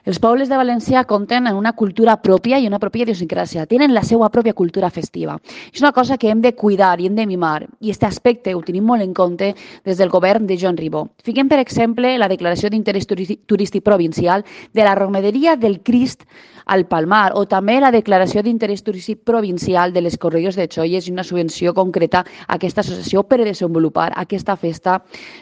Els pobles de València compten amb una cultura pròpia i una pròpia idiosincràsia. Tenen la seva pròpia cultura festiva. És una cosa que hem de cuidar i hem de mimar. I aquest aspecte ho tenim molt en compte des del govern de Joan Ribó. Fiquem, per exemple, la declaració d'interès turístic provincial de la Romeria del Crist al Palmar, o també la declaració d'interès turístic provincial de les Correlles de Xolles i una subvenció concreta a aquesta associació per desenvolupar aquesta festa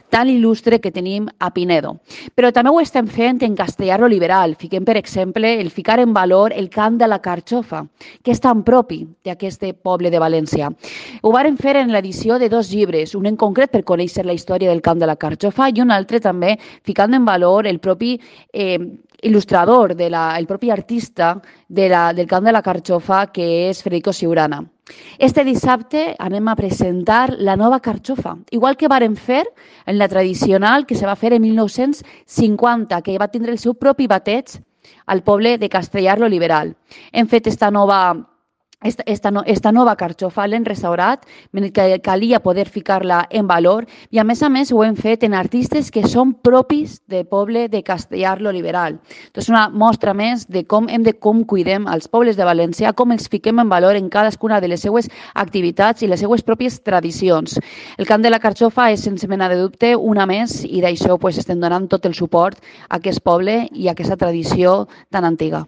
tan il·lustre que tenim a Pinedo. Però també ho estem fent en castellà liberal. Fiquem, per exemple, el ficar en valor el cant de la carxofa, que és tan propi d'aquest poble de València. Ho varen fer en l'edició de 2 llibres, un en concret per conèixer la història del cant de la carxofa i un altre també ficant en valor el propi il·lustrador, el propi artista del cant de la carxofa, que és Federico Siurana. Este dissabte anem a presentar la nova carxofa, igual que varen fer en la tradicional que se va fer en 1950, que va tindre el seu propi bateig al poble de Castellar lo Liberal. Hem fet esta nova carxofa l'hem restaurat, que calia poder ficar-la en valor i a més ho hem fet en artistes que són propis del poble de Castellar lo Liberal. És una mostra més de com cuidem els pobles de València, com els fiquem en valor en cadascuna de les seues activitats i les seues pròpies tradicions. El cant de la carxofa és, sense mena de dubte, una més i d'això estem donant tot el suport a aquest poble i a aquesta tradició tan antiga.